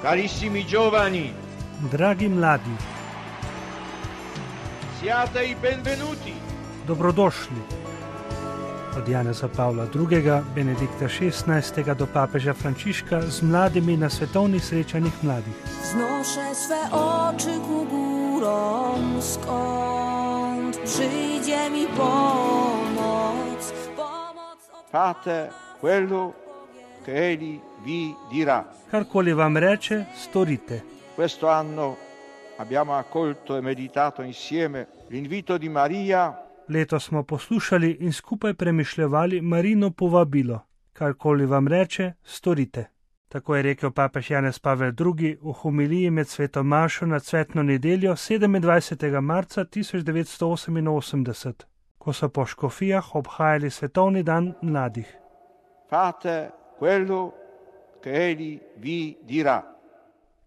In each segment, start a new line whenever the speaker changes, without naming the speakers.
Carissimi giovani,
Dragi mladi,
siate i benvenuti.
dobrodošli. Od Janeza Pavla II., Benedikta XVI. Do papeža Frančiška z mladimi na svetovnih srečanjih mladih.
Wznoszę swe oczy ku górom, skąd przyjdzie mi pomoc.
Fate quello che egli vi dirà.
Karkoli vam reče, storite.
Questo anno abbiamo accolto e meditato insieme l'invito di Maria
Letos smo poslušali in skupaj premišljevali Marino povabilo. Karkoli vam reče, storite. Tako je rekel papež Janez Pavel II. V homiliji med sveto mašo na cvetno nedeljo 27. marca 1988, ko so po škofijah obhajali svetovni dan mladih.
Fate quello che egli vi dirà.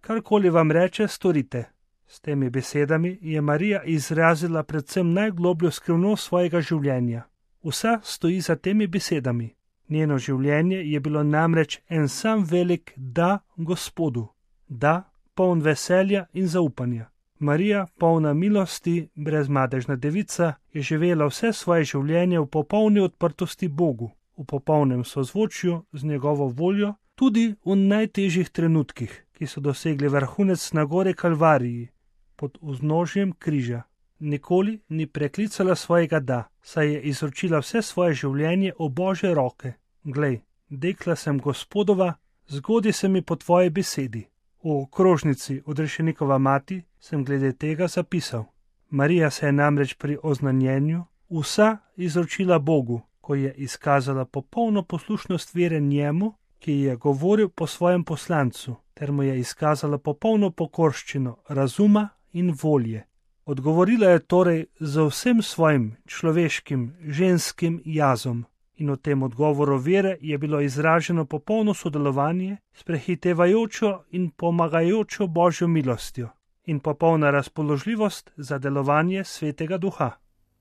Karkoli vam reče, storite. S temi besedami je Marija izrazila predvsem najglobljo skrivnost svojega življenja. Vsa stoji za temi besedami. Njeno življenje je bilo namreč en sam velik da Gospodu. Da, poln veselja in zaupanja. Marija, polna milosti, brezmadežna devica, je živela vse svoje življenje v popolni odprtosti Bogu, v popolnem sozvočju z njegovo voljo, tudi v najtežjih trenutkih, ki so dosegli vrhunec na gori Kalvariji, pod vznožjem križa. Nikoli ni preklicala svojega da, saj je izročila vse svoje življenje v Božje roke. Glej, dekla sem Gospodova, zgodi se mi po tvoji besedi. V okrožnici Odrešenikova mati sem glede tega zapisal. Marija se je namreč pri oznanjenju vsa izročila Bogu, ko je izkazala popolno poslušnost vere njemu, ki je govoril po svojem poslancu, ter mu je izkazala popolno pokorščino razuma in volje. Odgovorila je torej z vsem svojim človeškim, ženskim jazom in v tem odgovoru vere je bilo izraženo popolno sodelovanje s prehitevajočo in pomagajočo Božjo milostjo in popolna razpoložljivost za delovanje Svetega Duha.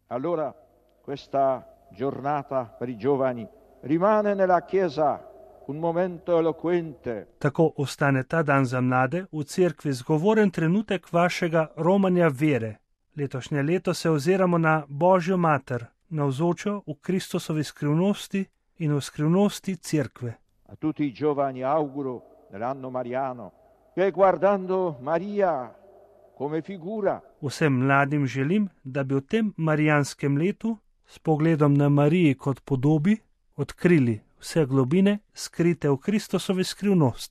Allora, questa giornata per i giovani rimane nella Chiesa un momento eloquente.
Tako ostane ta dan za mlade v cerkvi zgovoren trenutek vašega romanja vere. Letošnje leto se oziramo na Božjo mater, navzočo v Kristusovi skrivnosti in v skrivnosti cerkve.
A tutti i giovani auguro nell'anno mariano che guardando Maria come figura
Vsem mladim želim, da bi v tem marijanskem letu s pogledom na Mariji kot podobi odkrili vse globine skrite v Kristusovi skrivnosti.